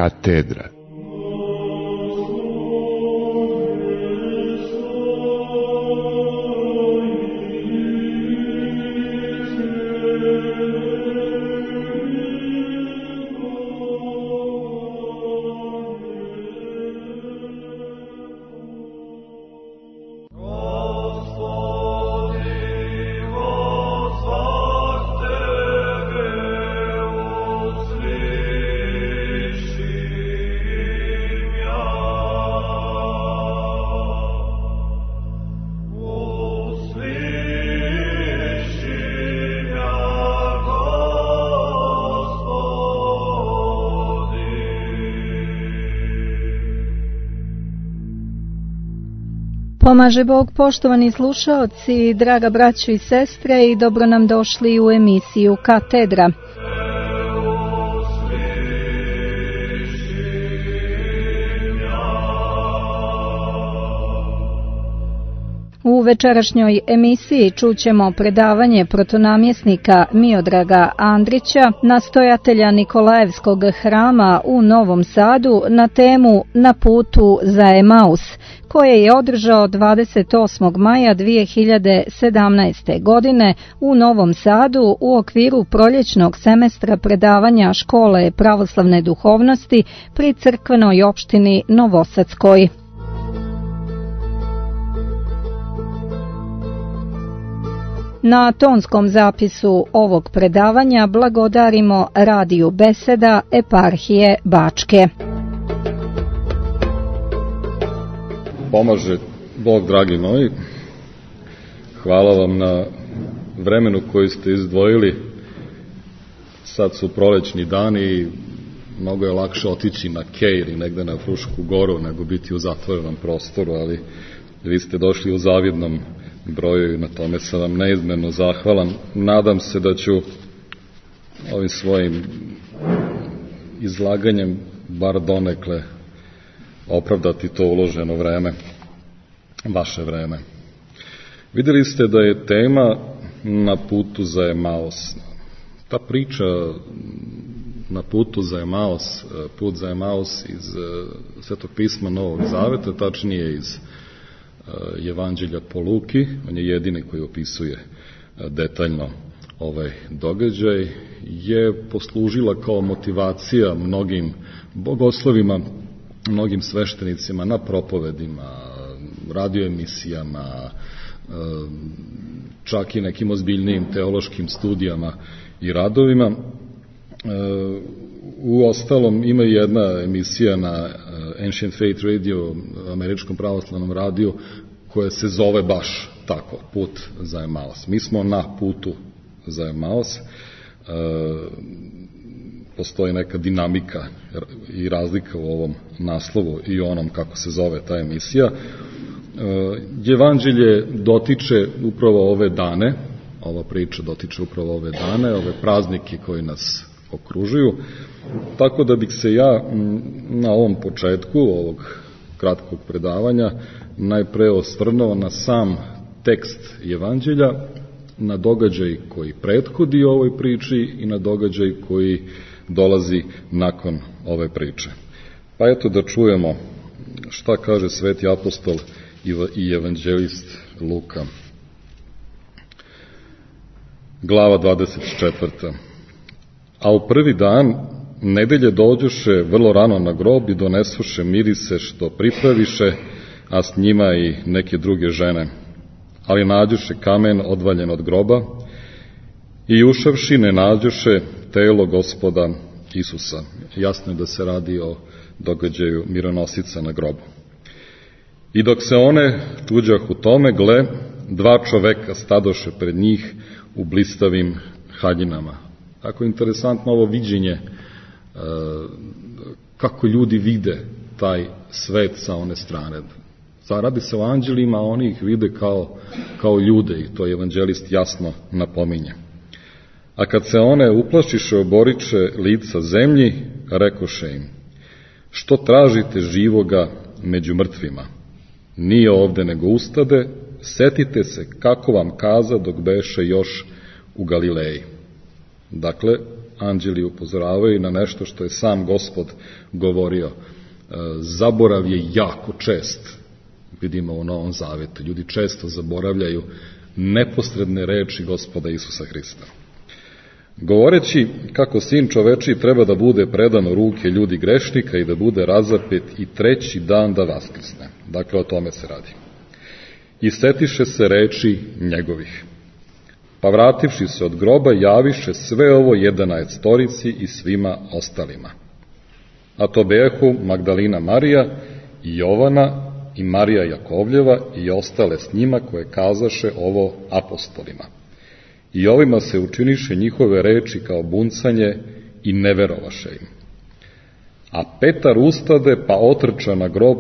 Katedra. Pomaže Bog, poštovani slušaoci, draga braćo i sestre, i dobro nam došli u emisiju Katedra. U večerašnjoj emisiji čućemo predavanje protonamjesnika Miodraga Andrića, nastojatelja Nikolajevskog hrama u Novom Sadu, na temu Na putu za Emaus, koje je održao 28. maja 2017. godine u Novom Sadu u okviru proljećnog semestra predavanja Škole pravoslavne duhovnosti pri crkvenoj opštini Novosadskoj. Na tonskom zapisu ovog predavanja blagodarimo Radiju Beseda Eparhije Bačke. Pomaže Bog, dragi moji. Hvala vam na vremenu koji ste izdvojili. Sad su prolećni dani i mnogo je lakše otići na Kejr i negde na Frušku goru nego biti u zatvorenom prostoru, ali vi ste došli u zavidnom broju i na tome sam vam neizmjerno zahvalan. Nadam se da ću ovim svojim izlaganjem bar donekle opravdati to uloženo vreme, vaše vreme. Vidjeli ste da je tema Na putu za Emaus. Ta priča Na putu za Emaus, put za Emaus iz Svetog pisma Novog Zaveta, tačnije iz Evanđelja po Luki, on je jedini koji opisuje detaljno ovaj događaj, je poslužila kao motivacija mnogim bogoslovima, mnogim sveštenicima na propovedima, radioemisijama, čak i nekim ozbiljnijim teološkim studijama i radovima. U ostalom ima jedna emisija na Ancient Faith Radio, američkom pravoslavnom radiju, koja se zove baš tako, Put za Emaus. Mi smo na putu za Emaus. Postoji neka dinamika i razlika u ovom naslovu i onom kako se zove ta emisija. Evanđelje dotiče upravo ove dane, ova priča dotiče upravo ove dane, ove praznike koji nas okružuju, tako da bih se ja na ovom početku ovog kratkog predavanja najpre osvrnuo na sam tekst Evanđelja, na događaj koji prethodi ovoj priči i na događaj koji dolazi nakon ove priče. Pa eto da čujemo šta kaže sveti apostol i evanđelist Luka. Glava 24. A u prvi dan nedelje dođoše vrlo rano na grob i donesuše mirise što pripraviše, a s njima i neke druge žene. Ali nađoše kamen odvaljen od groba i ušavši ne nađoše telo Gospoda Isusa. Jasno je da se radi o događaju mironosica na grobu. I dok se one čuđah u tome, gle, dva čoveka stadoše pred njih u blistavim haljinama. Tako interesantno ovo viđenje, kako ljudi vide taj svet sa one strane. Radi se o anđelima, a oni ih vide kao ljude i to evanđelist jasno napominje. A kad se one uplašiše, oboriče lica zemlji, rekoše im: što tražite živoga među mrtvima? Nije ovde nego ustade, setite se kako vam kaza dok beše još u Galileji. Dakle, anđeli upozoravaju na nešto što je sam Gospod govorio. Zaborav je jako čest, vidimo u Novom Zavetu. Ljudi često zaboravljaju neposredne reči Gospoda Isusa Hrista. Govoreći kako sin čovečiji treba da bude predan u ruke ljudi grešnika i da bude razapet i treći dan da vaskrsne. Dakle, o tome se radi. I setiše se reči njegovih. Pa vrativši se od groba, javiše sve ovo 11 i svima ostalima. A to behu Magdalina Marija i Jovana i Marija Jakovljeva i ostale s njima koje kazaše ovo apostolima. I ovima se učiniše njihove reči kao buncanje i ne verovaše im. A Petar ustade pa otrča na grob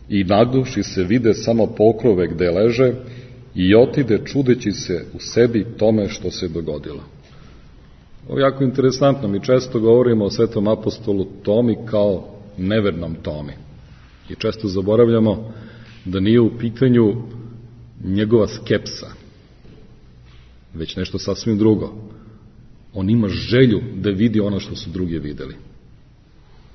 i nagnuši se vide samo pokrove gde leže i otide čudeći se u sebi tome što se dogodilo. Ovo je jako interesantno, mi često govorimo o svetom apostolu Tomi kao nevernom Tomi. I često zaboravljamo da nije u pitanju njegova skepsa, već nešto sasvim drugo. On ima želju da vidi ono što su drugi videli.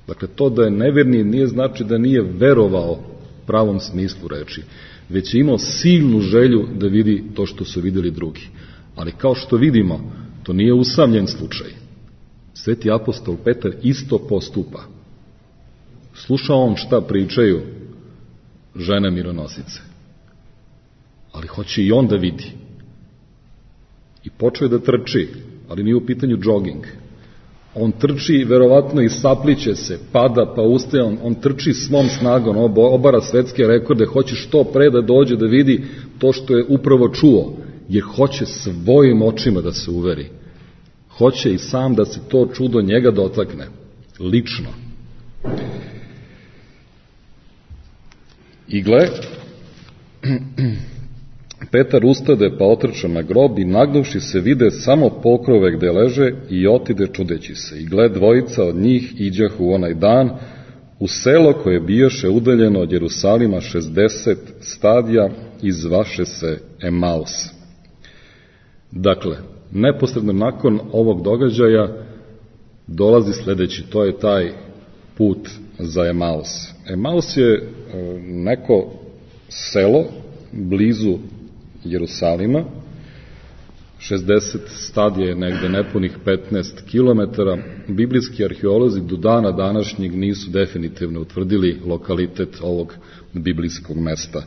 Dakle, to da je neverni nije znači da nije verovao pravom smislu reči, već je imao silnu želju da vidi to što su videli drugi. Ali kao što vidimo, to nije usamljen slučaj. Sveti apostol Petar isto postupa. Sluša on šta pričaju žene mironosice, ali hoće i on da vidi. I počeo je da trči, ali nije u pitanju džoging. On trči, verovatno i sapliće se, pada pa ustaje, on trči svom snagom, obara svetske rekorde, hoće što pre da dođe da vidi to što je upravo čuo, jer hoće svojim očima da se uveri. Hoće i sam da se to čudo njega dotakne, lično. I gle, Petar ustade pa otrča na grob i nagnuvši se vide samo pokrove gde leže i otide čudeći se. I gle, dvojica od njih iđahu u onaj dan u selo koje bijaše udaljeno od Jerusalima 60 stadija i zvaše se Emaus. Dakle, neposredno nakon ovog događaja dolazi sledeći, to je taj put za Emaus. Emaus je neko selo blizu Jerusalima, 60 stadija je negde nepunih 15 kilometara. Biblijski arheolozi do dana današnjeg nisu definitivno utvrdili lokalitet ovog biblijskog mesta.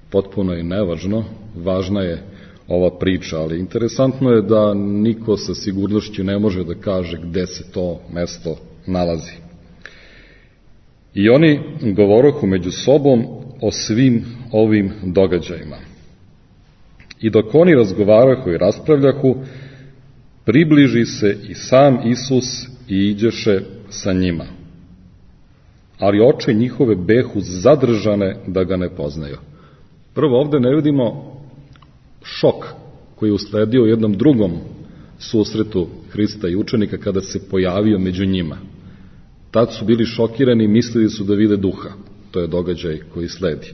Potpuno je nevažno, važna je ova priča, ali interesantno je da niko sa sigurnošću ne može da kaže gde se to mesto nalazi. I oni govorohu među sobom o svim ovim događajima. I dok oni razgovarahu i raspravljahu, približi se i sam Isus i iđeše sa njima. Ali oči njihove behu zadržane da ga ne poznaju. Prvo, ovde ne vidimo šok koji je usledio u jednom drugom susretu Hrista i učenika kada se pojavio među njima. Tad su bili šokirani i mislili su da vide duha. To je događaj koji sledi.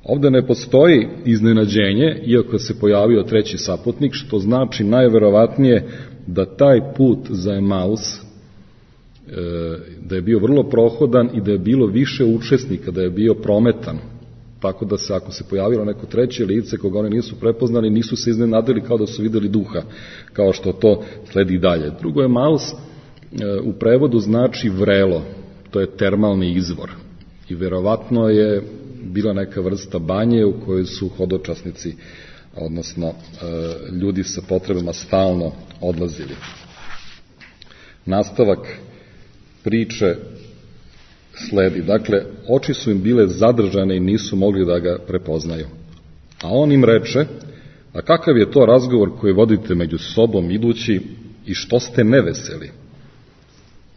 Ovde ne postoji iznenađenje, iako se pojavio treći saputnik, što znači najverovatnije da taj put za Emaus, da je bio vrlo prohodan i da je bilo više učesnika, da je bio prometan. Tako da se, ako se pojavilo neko treće lice koga oni nisu prepoznali, nisu se iznenadili kao da su videli duha, kao što to sledi dalje. Drugo, Emaus u prevodu znači vrelo, to je termalni izvor. I verovatno je bila neka vrsta banje u kojoj su hodočasnici, odnosno ljudi sa potrebama stalno odlazili. Nastavak priče sledi. Dakle, oči su im bile zadržane i nisu mogli da ga prepoznaju. A on im reče, a kakav je to razgovor koji vodite među sobom idući i što ste neveseli?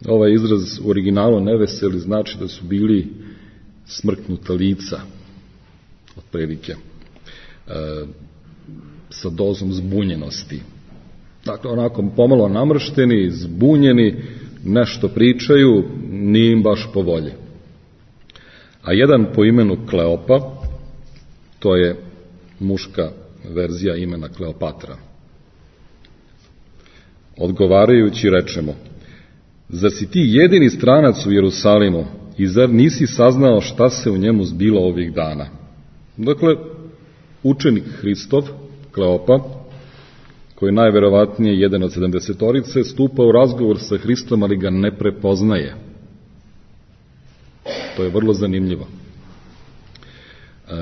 Ovaj izraz u originalu neveseli znači da su bili smrknuta lica, otprilike, sa dozom zbunjenosti. Dakle, onako pomalo namršteni, zbunjeni, nešto pričaju, nije im baš po volji. A jedan po imenu Kleopa, to je muška verzija imena Kleopatra, odgovarajući reče mu, Zar si ti jedini stranac u Jerusalimu i zar nisi saznao šta se u njemu zbilo ovih dana? Dakle, učenik Hristov, Kleopa, koji je najverovatnije jedan od 70-orice, stupa u razgovor sa Hristom, ali ga ne prepoznaje. To je vrlo zanimljivo.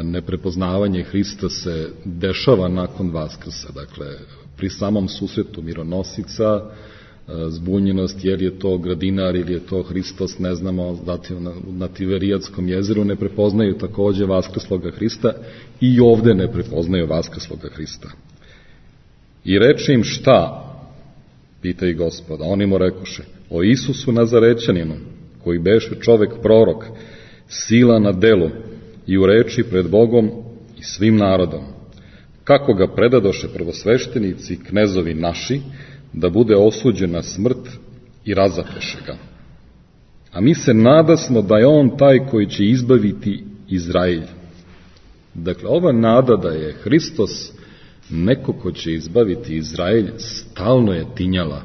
Neprepoznavanje Hrista se dešava nakon Vaskrsa, dakle, pri samom susretu mironosica, zbunjenost, jer je to gradinar ili je to Hristos, ne znamo, na Tiverijadskom jezeru ne prepoznaju takođe vaskrsloga Hrista i ovde ne prepoznaju vaskrsloga Hrista. I reče im šta? Pita i Gospoda. Oni mu rekoše, o Isusu Nazarećaninu, koji beše čovek prorok, sila na delu i u reči pred Bogom i svim narodom, kako ga predadoše prvosveštenici i knezovi naši, da bude osuđen na smrt i razapeše ga. A mi se nadasmo da je on taj koji će izbaviti Izrael. Dakle, ova nada da je Hristos neko ko će izbaviti Izrael stalno je tinjala.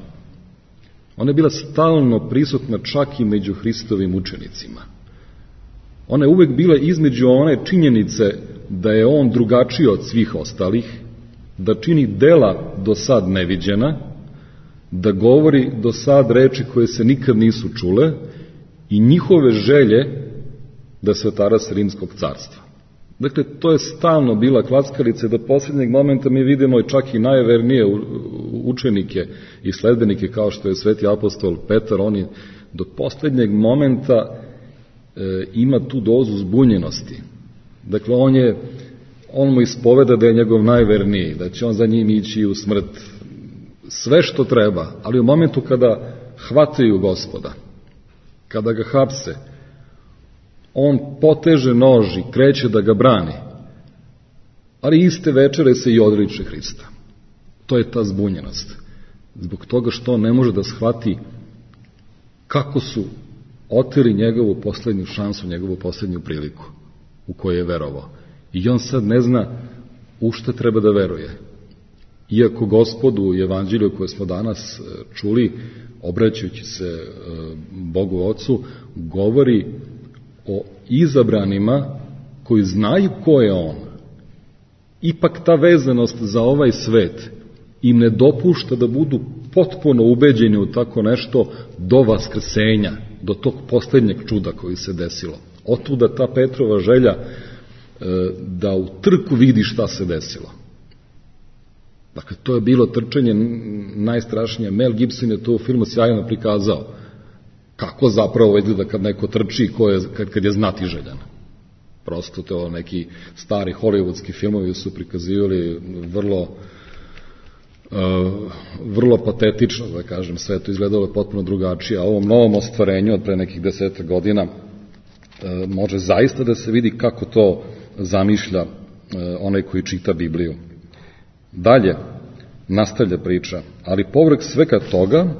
Ona je bila stalno prisutna čak i među Hristovim učenicima. Ona je uvek bila između one činjenice da je on drugačiji od svih ostalih, da čini dela do sad neviđena, da govori do sad reči koje se nikad nisu čule i njihove želje da se otara s rimskog carstva. Dakle, to je stalno bila klackalica, do posljednjeg momenta mi vidimo čak i najvernije učenike i sledbenike kao što je sveti apostol Petar, on je do posljednjeg momenta ima tu dozu zbunjenosti. Dakle, on mu ispoveda da je njegov najverniji, da će on za njim ići u smrt, sve što treba, ali u momentu kada hvataju Gospoda, kada ga hapse, on poteže nož i kreće da ga brani, ali iste večere se i odriče Hrista. To je ta zbunjenost. Zbog toga što on ne može da shvati kako su oteli njegovu poslednju šansu, njegovu poslednju priliku u kojoj je verovao. I on sad ne zna u šta treba da veruje. Iako Gospodu u evanđelju koje smo danas čuli, obraćajući se Bogu Ocu, govori o izabranima koji znaju ko je on. Ipak ta vezanost za ovaj svet im ne dopušta da budu potpuno ubeđeni u tako nešto do vaskrsenja, do tog poslednjeg čuda koji se desilo. Otuda ta Petrova želja da u trku vidi šta se desilo. Dakle, to je bilo trčanje najstrašnije. Mel Gibson je to u filmu sjajno prikazao. Kako zapravo izgleda kad neko trči kad je znatiželjan. Prosto to neki stari hollywoodski filmovi su prikazivali vrlo patetično, da kažem, sve to izgledalo je potpuno drugačije, a ovom novom ostvarenju od pre nekih 10 godina može zaista da se vidi kako to zamišlja onaj koji čita Bibliju. Dalje, nastavlja priča, ali povrh svega toga,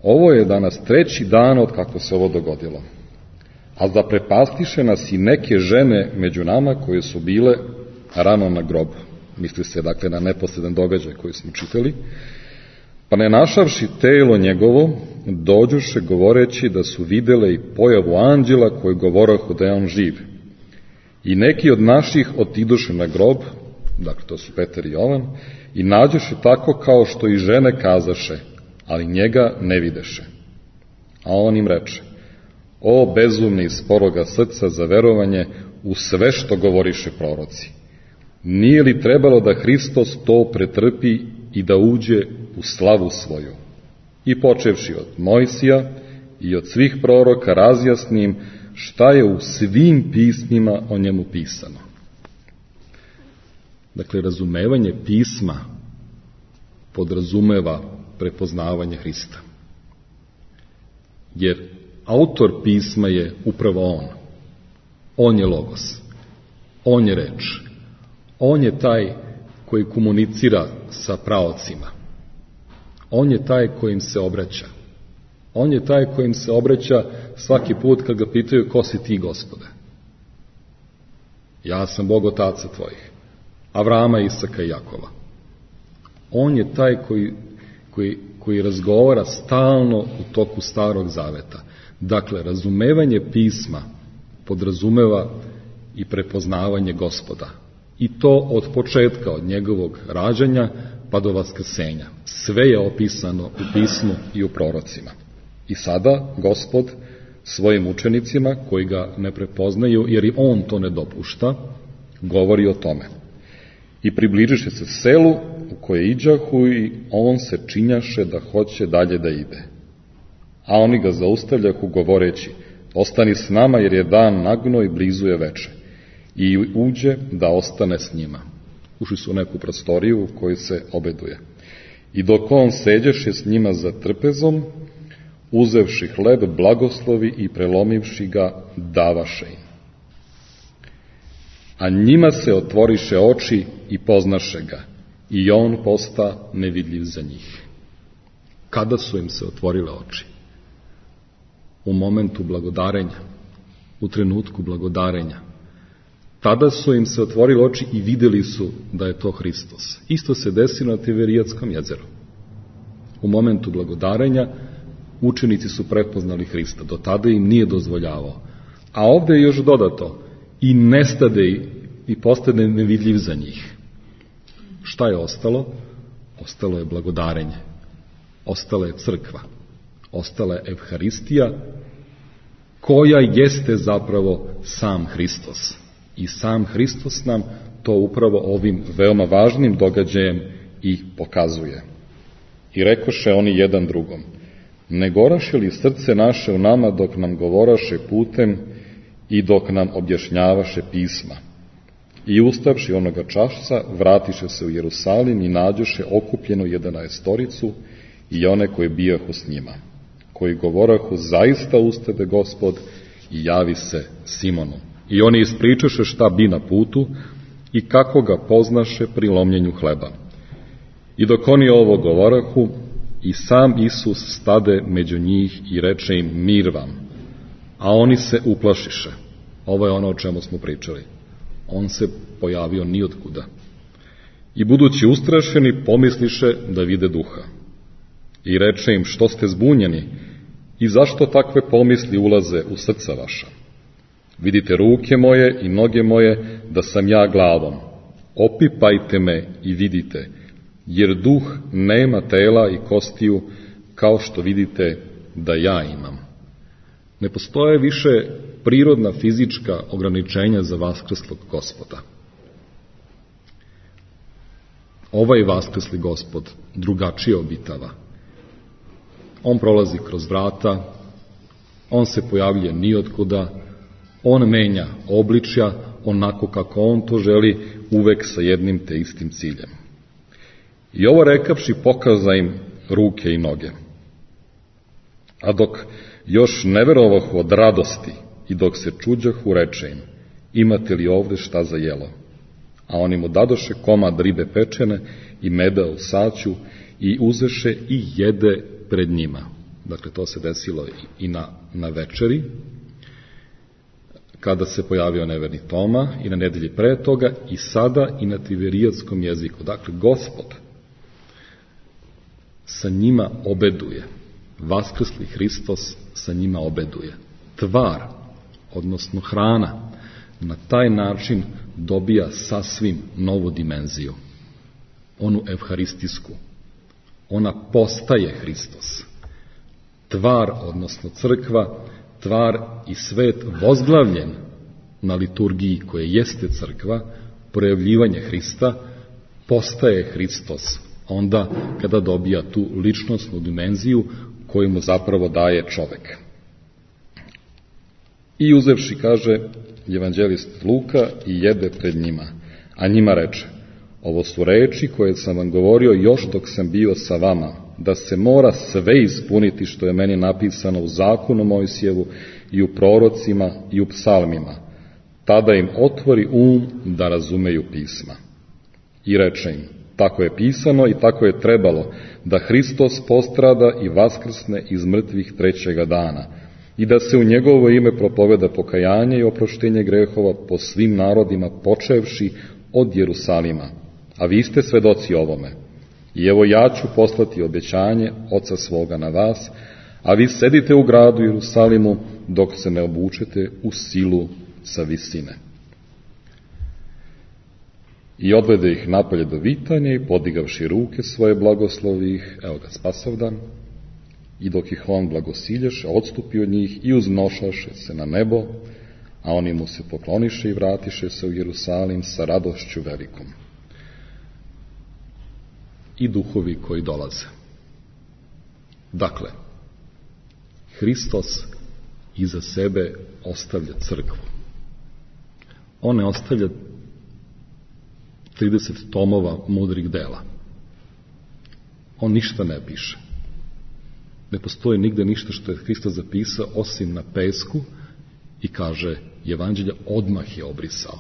ovo je danas 3. dan od kako se ovo dogodilo. A da prepastiše nas i neke žene među nama koje su bile rano na grobu. Misli se, dakle, na neposredan događaj koji smo čitali. Pa ne našavši telo njegovo, dođoše govoreći da su videle i pojavu anđela koji govorahu da je on živ. I neki od naših otidoše na grob, dakle, to su Petar i Jovan, i nađoše tako kao što i žene kazaše, ali njega ne videše. A on im reče, o bezumni iz sporoga srca za verovanje u sve što govoriše proroci. Nije li trebalo da Hristos to pretrpi i da uđe u slavu svoju? I počevši od Mojsija i od svih proroka razjasnim šta je u svim pismima o njemu pisano. Dakle, razumevanje pisma podrazumeva prepoznavanje Hrista. Jer autor pisma je upravo on. On je Logos. On je reč. On je taj koji komunicira sa praocima. On je taj kojim se obraća. On je taj kojim se obraća svaki put kad ga pitaju ko si ti, Gospode. Ja sam Bog otaca tvojih, Avrama, Isaka i Jakova. On je taj koji koji razgovara stalno u toku Starog Zaveta. Dakle, razumevanje pisma podrazumeva i prepoznavanje Gospoda. I to od početka, od njegovog rađanja pa do vaskrsenja. Sve je opisano u pismu i u prorocima. I sada Gospod svojim učenicima, koji ga ne prepoznaju, jer i on to ne dopušta, govori o tome. I približiše se selu u koje iđahu i on se činjaše da hoće dalje da ide. A oni ga zaustavljahu govoreći, ostani s nama jer je dan nagno i blizu je veče. I uđe da ostane s njima. Ušli su u neku prostoriju u kojoj se obeduje. I dok on seđeše s njima za trpezom, uzevši hleb, blagoslovi i prelomivši ga, davaše im. A njima se otvoriše oči i poznaše ga, i on posta nevidljiv za njih. Kada su im se otvorile oči? U momentu blagodarenja, u trenutku blagodarenja. Tada su im se otvorile oči i videli su da je to Hristos. Isto se desilo na Tiberijadskom jezeru. U momentu blagodarenja učenici su prepoznali Hrista, do tada im nije dozvoljavao. A ovde je još dodato, i nestade i postane nevidljiv za njih. Šta je ostalo? Ostalo je blagodarenje. Ostala je crkva. Ostala je Evharistija, koja jeste zapravo sam Hristos. I sam Hristos nam to upravo ovim veoma važnim događajem i pokazuje. I rekoše oni jedan drugom, ne goraše li srce naše u nama dok nam govoraše putem i dok nam objašnjavaše pisma? I ustavši onoga časca, vratiše se u Jerusalim i nađoše okupljenu 11 i one koji bijahu s njima, koji govorahu, zaista ustade Gospod i javi se Simonu. I oni ispričaše šta bi na putu i kako ga poznaše pri lomljenju hleba. I dok oni ovo govorahu, i sam Isus stade među njih i reče im, mir vam. A oni se uplašiše. Ovo je ono o čemu smo pričali. On se pojavio nijotkuda. I budući ustrašeni, pomisliše da vide duha. I reče im, što ste zbunjeni i zašto takve pomisli ulaze u srca vaša? Vidite ruke moje i noge moje, da sam ja glavom. Opipajte me i vidite, jer duh nema tela i kostiju, kao što vidite da ja imam. Ne postoje više prirodna fizička ograničenja za vaskrslog Gospoda. Ovaj vaskrsli Gospod drugačije obitava. On prolazi kroz vrata, on se pojavljuje nijotkuda, on menja obličja onako kako on to želi, uvek sa jednim te istim ciljem. I ovo rekavši pokaza im ruke i noge. A dok još ne verovahu od radosti i dok se čuđahu, reče im, imate li ovde šta za jelo? A oni mu dadoše komad ribe pečene i meda u saću i uzeše i jede pred njima. Dakle, to se desilo i na večeri, kada se pojavio neverni Toma, i na nedelji pre toga, i sada i na tiberijadskom jeziku. Dakle, Gospod sa njima obeduje. Vaskrsli Hristos sa njima obeduje. Tvar, odnosno hrana, na taj način dobija sasvim novu dimenziju. Onu evharistijsku. Ona postaje Hristos. Tvar, odnosno crkva, tvar i svet vozglavljen na liturgiji koja jeste crkva, projavljivanje Hrista, postaje Hristos. Onda kada dobija tu ličnosnu dimenziju koju mu zapravo daje čovek. I uzevši, kaže evanđelist Luka, i jede pred njima, a njima reče, ovo su reči koje sam vam govorio još dok sam bio sa vama, da se mora sve ispuniti što je meni napisano u zakonu Mojsijevu i u prorocima i u psalmima. Tada im otvori da razumeju pisma. I reče im, tako je pisano i tako je trebalo, da Hristos postrada i vaskrsne iz mrtvih 3. dana, i da se u njegovo ime propoveda pokajanje i oproštenje grehova po svim narodima, počevši od Jerusalima. A vi ste svedoci ovome. I evo ja ću poslati obećanje Oca svoga na vas, a vi sedite u gradu Jerusalimu dok se ne obučete u silu sa visine. I odvede ih napolje do vitanja i podigavši ruke svoje blagoslovi ih, evo ga spasavdan, i dok ih on blagosilješe, odstupi od njih i uznošaše se na nebo, a oni mu se pokloniše i vratiše se u Jerusalim sa radošću velikom. I duhovi koji dolaze. Dakle, Hristos iza sebe ostavlja crkvu. On ne ostavlja 30 tomova mudrih dela. On ništa ne piše. Ne postoji nigde ništa što je Hristos zapisao osim na pesku i kaže evanđelja odmah je obrisao.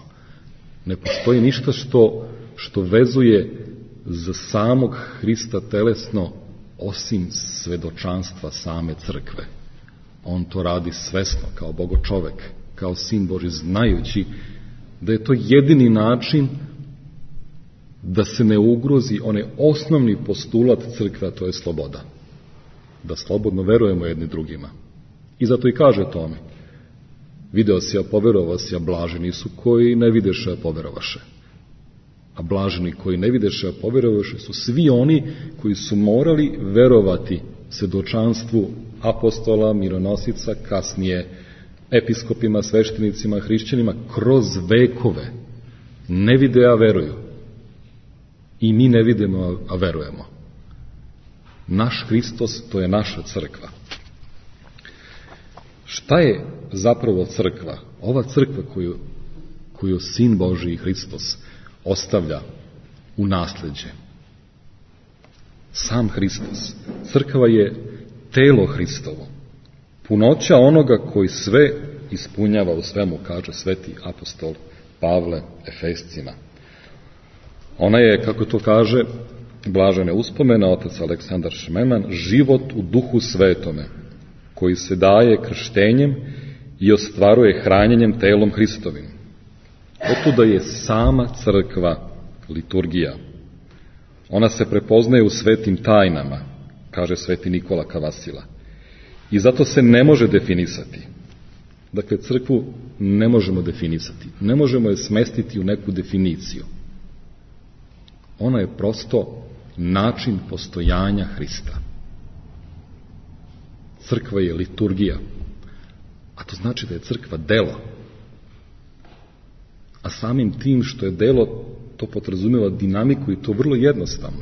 Ne postoji ništa što vezuje za samog Hrista telesno osim svedočanstva same crkve. On to radi svesno kao bogočovek, kao sin Božji, znajući da je to jedini način da se ne ugrozi onaj osnovni postulat crkve, a to je sloboda. Da slobodno verujemo jedni drugima. I zato i kaže tome: video si, a poverovao si, a blaženi su koji ne videše, a poverovaše. A blaženi koji ne videše, a poverovaše su svi oni koji su morali verovati svedočanstvu apostola, mironosica, kasnije episkopima, sveštenicima, hrišćanima, kroz vekove. Ne vide, a veruju. I mi ne vidimo, a verujemo. Naš Hristos, to je naša crkva. Šta je zapravo crkva? Ova crkva koju Sin Božji Hristos ostavlja u nasleđe. Sam Hristos. Crkva je telo Hristovo. Punoća onoga koji sve ispunjava u svemu, kaže sveti apostol Pavle Efescima. Ona je, kako to kaže blažene uspomena otac Aleksandar Šmeman, život u duhu svetome, koji se daje krštenjem i ostvaruje hranjenjem telom Hristovim. Otuda je sama crkva liturgija. Ona se prepoznaje u svetim tajnama, kaže sveti Nikola Kavasila. I zato se ne može definisati. Dakle, crkvu ne možemo definisati. Ne možemo je smestiti u neku definiciju. Ona je prosto način postojanja Hrista. Crkva je liturgija, a to znači da je crkva delo. A samim tim što je delo, to podrazumeva dinamiku i to vrlo jednostavno.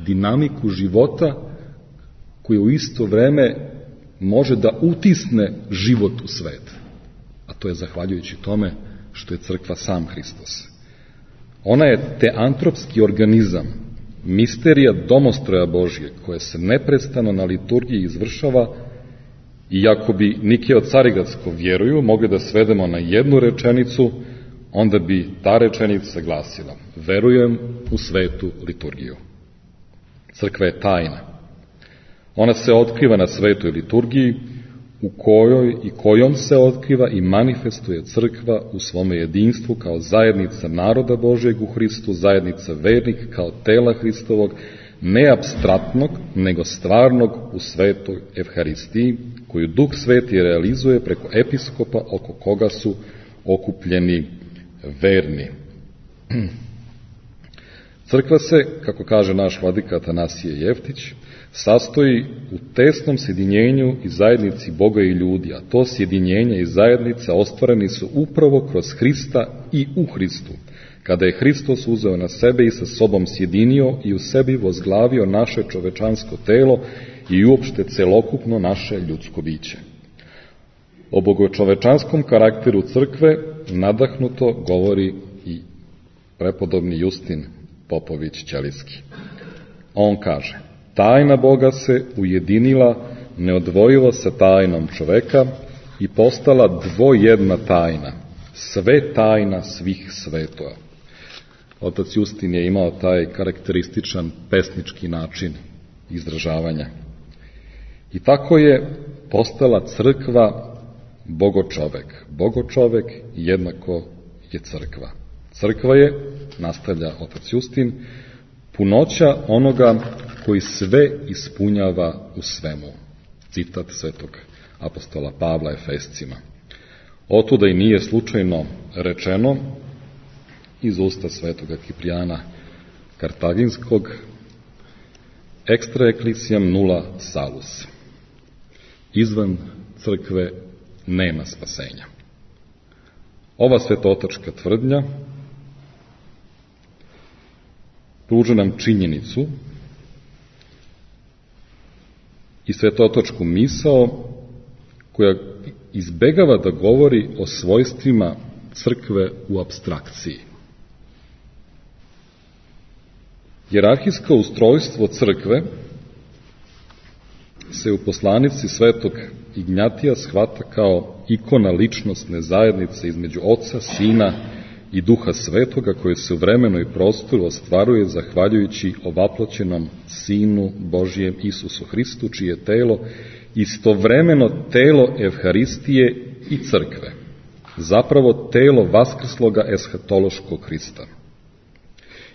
Dinamiku života koja u isto vreme može da utisne život u svet. A to je zahvaljujući tome što je crkva sam Hristos. Ona je teantropski organizam, misterija domostroja Božje, koja se neprestano na liturgiji izvršava, i ako bi Nikija od Carigradsko vjeruju mogli da svedemo na jednu rečenicu, onda bi ta rečenica glasila: verujem u svetu liturgiju. Crkva je tajna. Ona se otkriva na svetoj liturgiji, u kojoj i kojom se otkriva i manifestuje crkva u svome jedinstvu kao zajednica naroda Božjeg u Hristu, zajednica vernika kao tela Hristovog, ne apstraktnog, nego stvarnog u svetoj Evharistiji, koju Duh Sveti realizuje preko episkopa oko koga su okupljeni verni. Crkva se, kako kaže naš vladika Atanasije Jeftić, sastoji u tesnom sjedinjenju i zajednici Boga i ljudi, a to sjedinjenje i zajednica ostvareni su upravo kroz Hrista i u Hristu, kada je Hristos uzeo na sebe i sa sobom sjedinio i u sebi vozglavio naše čovečansko telo i uopšte celokupno naše ljudsko biće. O bogočovečanskom karakteru crkve nadahnuto govori i prepodobni Justin Popović Ćelijski. On kaže: tajna Boga se ujedinila neodvojivo sa tajnom čoveka i postala dvojedna tajna, sve tajna svih svetova. Otac Justin je imao taj karakterističan pesnički način izražavanja. I tako je postala crkva bogočovek. Bogočovek jednako je crkva. Crkva je, nastavlja otac Justin, punoća onoga koji sve ispunjava u svemu. Citat svetog apostola Pavla Efescima. Otuda i nije slučajno rečeno iz usta svetoga Kiprijana Kartaginskog: extra ecclesiam nulla salus. Izvan crkve nema spasenja. Ova svetotačka tvrdnja pruža nam činjenicu i svetotačku misao koja izbegava da govori o svojstvima crkve u apstrakciji. Hijerarhijsko ustrojstvo crkve se u poslanici svetog Ignjatija shvata kao ikona ličnosne zajednice između Oca, Sina i Duha Svetoga, koje se u vremenu i prostoru ostvaruje zahvaljujući ovaploćenom Sinu Božijem Isusu Hristu, čije telo istovremeno telo Evharistije i crkve, zapravo telo vaskrsloga eshatološkog Hrista.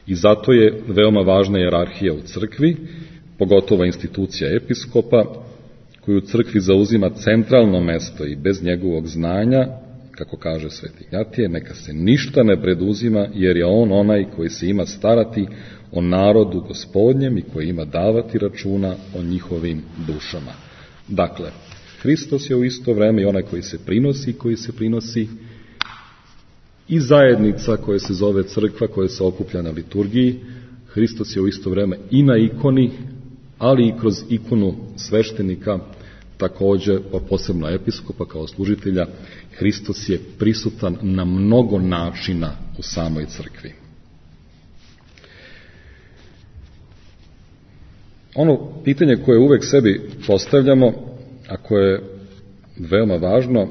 I zato je veoma važna hijerarhija u crkvi, pogotovo institucija episkopa, koju u crkvi zauzima centralno mesto i bez njegovog znanja, kako kaže sveti Ignjatije, neka se ništa ne preduzima, jer je on onaj koji se ima starati o narodu Gospodnjem i koji ima davati računa o njihovim dušama. Dakle, Hristos je u isto vreme i onaj koji se prinosi i zajednica koja se zove crkva, koja se okuplja na liturgiji. Hristos je u isto vreme i na ikoni, ali i kroz ikonu sveštenika, takođe posebno episkopa kao služitelja. Hristos je prisutan na mnogo načina u samoj crkvi. Ono pitanje koje uvek sebi postavljamo, a koje je veoma važno,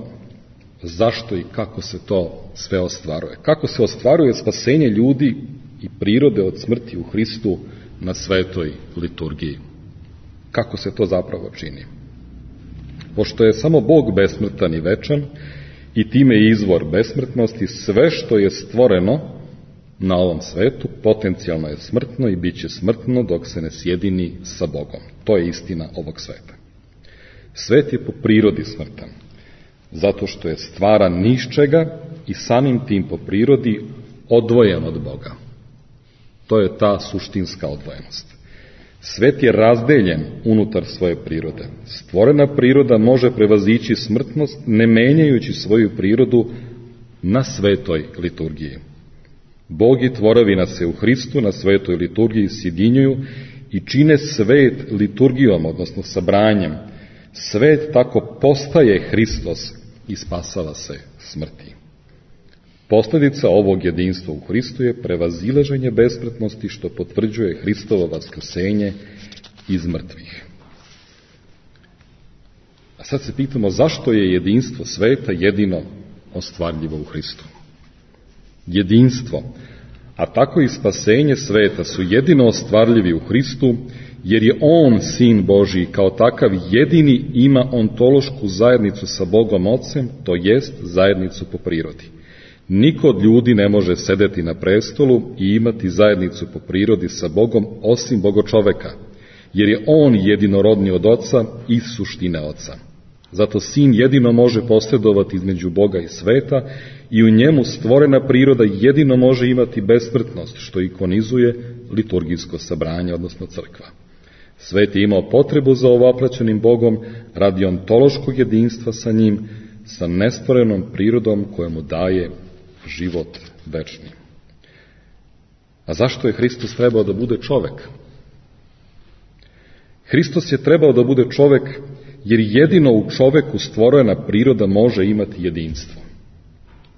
zašto i kako se to sve ostvaruje? Kako se ostvaruje spasenje ljudi i prirode od smrti u Hristu na svetoj liturgiji? Kako se to zapravo čini? Pošto je samo Bog besmrtan i večan i time je izvor besmrtnosti, sve što je stvoreno na ovom svetu potencijalno je smrtno i bit će smrtno dok se ne sjedini sa Bogom. To je istina ovog sveta. Svet je po prirodi smrtan, zato što je stvaran ni iz čega i samim tim po prirodi odvojen od Boga. To je ta suštinska odvojenost. Svet je razdeljen unutar svoje prirode. Stvorena priroda može prevazići smrtnost ne menjajući svoju prirodu na svetoj liturgiji. Bog i tvorevina se u Hristu na svetoj liturgiji sjedinjuju i čine svet liturgijom, odnosno sabranjem. Svet tako postaje Hristos i spasava se smrti. Posljedica ovog jedinstva u Hristu je prevazilaženje besmrtnosti, što potvrđuje Hristovo vaskrsenje iz mrtvih. A sad se pitamo zašto je jedinstvo sveta jedino ostvarljivo u Hristu. Jedinstvo, a tako i spasenje sveta su jedino ostvarljivi u Hristu, jer je On, Sin Božiji, kao takav jedini ima ontološku zajednicu sa Bogom Ocem, to jest zajednicu po prirodi. Niko od ljudi ne može sedeti na prestolu i imati zajednicu po prirodi sa Bogom osim Bogočoveka, jer je On jedinorodni od Oca i suštine Oca. Zato Sin jedino može posredovati između Boga i sveta i u njemu stvorena priroda jedino može imati besmrtnost, što ikonizuje liturgijsko sabranje, odnosno crkva. Svet je imao potrebu za ovoplaćenim Bogom radi ontološkog jedinstva sa njim, sa nestvorenom prirodom koja mu daje život večni. A zašto je Hristos trebao da bude čovek? Hristos je trebao da bude čovek jer jedino u čoveku stvorena priroda može imati jedinstvo.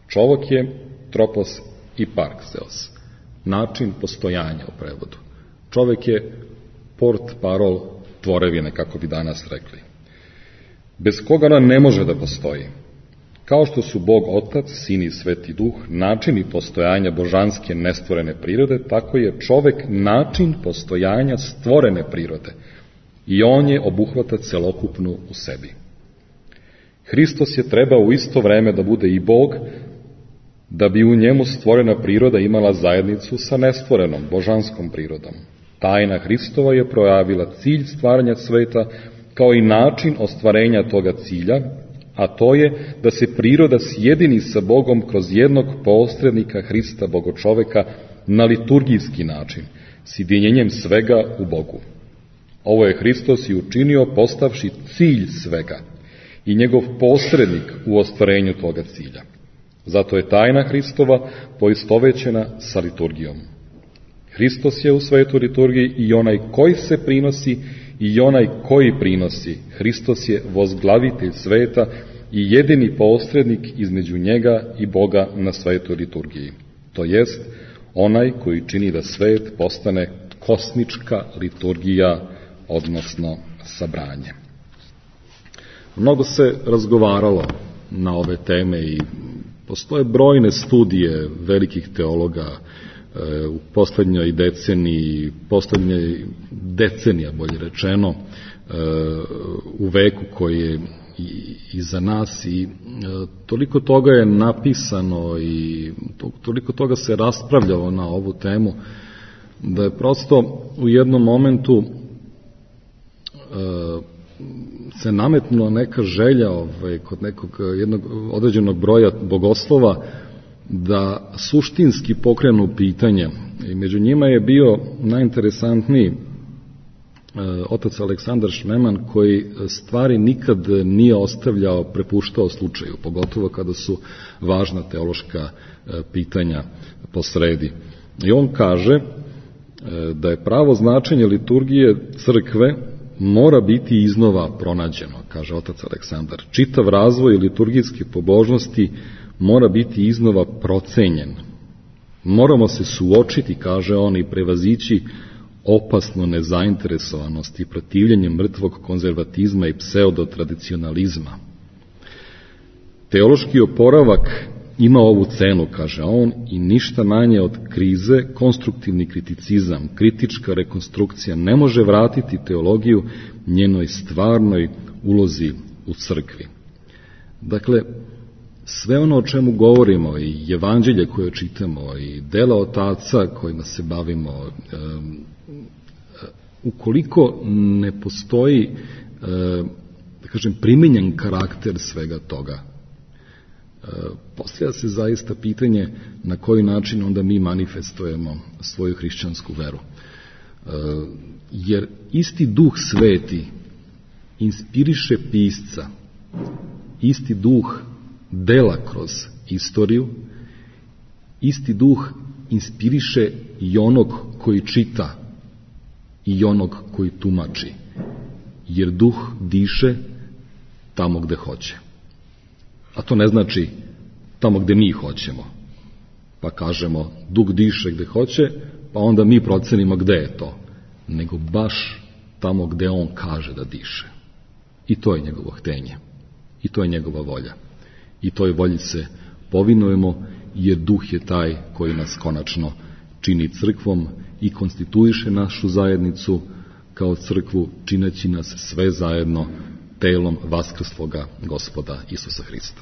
Čovek je tropos i parkseos, način postojanja u prevodu. Čovek je port parol tvorevine, kako bi danas rekli, bez koga ona ne može da postoji. Kao što su Bog Otac, Sin i Sveti Duh načini postojanja božanske nestvorene prirode, tako je čovek način postojanja stvorene prirode i on je obuhvata celokupnu u sebi. Hristos je trebao u isto vreme da bude i Bog, da bi u njemu stvorena priroda imala zajednicu sa nestvorenom božanskom prirodom. Tajna Hristova je projavila cilj stvaranja sveta kao i način ostvarenja toga cilja, a to je da se priroda sjedini sa Bogom kroz jednog posrednika Hrista Bogočoveka na liturgijski način, sjedinjenjem svega u Bogu. Ovo je Hristos i učinio postavši cilj svega i njegov posrednik u ostvarenju toga cilja. Zato je tajna Hristova poistovećena sa liturgijom. Hristos je u svetoj liturgiji i onaj koji se prinosi i onaj koji prinosi. Hristos je vozglavitelj sveta i jedini posrednik između njega i Boga na svetoj liturgiji. To jest onaj koji čini da svet postane kosmička liturgija, odnosno sabranje. Mnogo se razgovaralo na ove teme i postoje brojne studije velikih teologa u poslednjoj decenija, bolje rečeno, u veku koji je iza nas i toliko toga je napisano i toliko toga se raspravljalo na ovu temu da je prosto u jednom momentu se nametnula neka želja kod jednog određenog broja bogoslova da suštinski pokrenu pitanje. I među njima je bio najinteresantniji otac Aleksandar Šmeman, koji stvari nikad nije ostavljao, prepuštao slučaju, pogotovo kada su važna teološka pitanja posredi. I on kaže da je pravo značenje liturgije crkve mora biti iznova pronađeno, kaže otac Aleksandar. Čitav razvoj liturgijske pobožnosti mora biti iznova procenjen. Moramo se suočiti, kaže on, i prevazići opasnu nezainteresovanost i protivljenje mrtvog konzervatizma i pseudotradicionalizma. Teološki oporavak ima ovu cenu, kaže on, i ništa manje od krize, konstruktivni kriticizam, kritička rekonstrukcija ne može vratiti teologiju njenoj stvarnoj ulozi u crkvi. Dakle, sve ono o čemu govorimo i evanđelje koje čitamo i dela otaca kojima se bavimo, ukoliko ne postoji, da kažem, primenjen karakter svega toga, postavlja se zaista pitanje na koji način onda mi manifestujemo svoju hrišćansku veru. Jer isti Duh Sveti inspiriše pisca, isti Duh dela kroz istoriju, isti Duh inspiriše i onog koji čita i onog koji tumači, jer Duh diše tamo gde hoće. A to ne znači tamo gde mi hoćemo, pa kažemo Duh diše gde hoće, pa onda mi procenimo gde je to, nego baš tamo gde on kaže da diše. I to je njegovo htenje, i to je njegova volja. I toj volji se povinujemo, jer Duh je taj koji nas konačno čini crkvom i konstituiše našu zajednicu kao crkvu, čineći nas sve zajedno telom vaskrsloga Gospoda Isusa Hrista.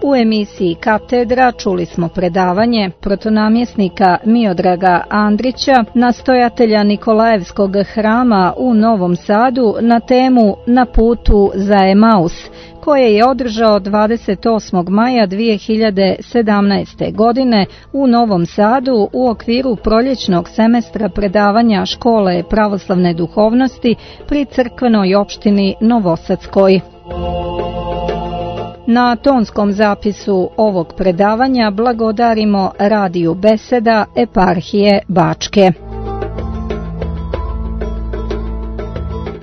U emisiji Katedra čuli smo predavanje protonamjesnika Miodraga Andrića, nastojatelja Nikolajevskog hrama u Novom Sadu, na temu Na putu za Emaus, koje je održao 28. maja 2017. godine u Novom Sadu u okviru proljećnog semestra predavanja Škole pravoslavne duhovnosti pri crkvenoj opštini Novosadskoj. Na tonskom zapisu ovog predavanja blagodarimo Radiju Beseda Eparhije Bačke.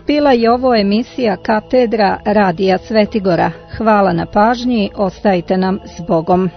Bila je ovo emisija Katedra Radija Svetigora. Hvala na pažnji, ostajte nam s Bogom.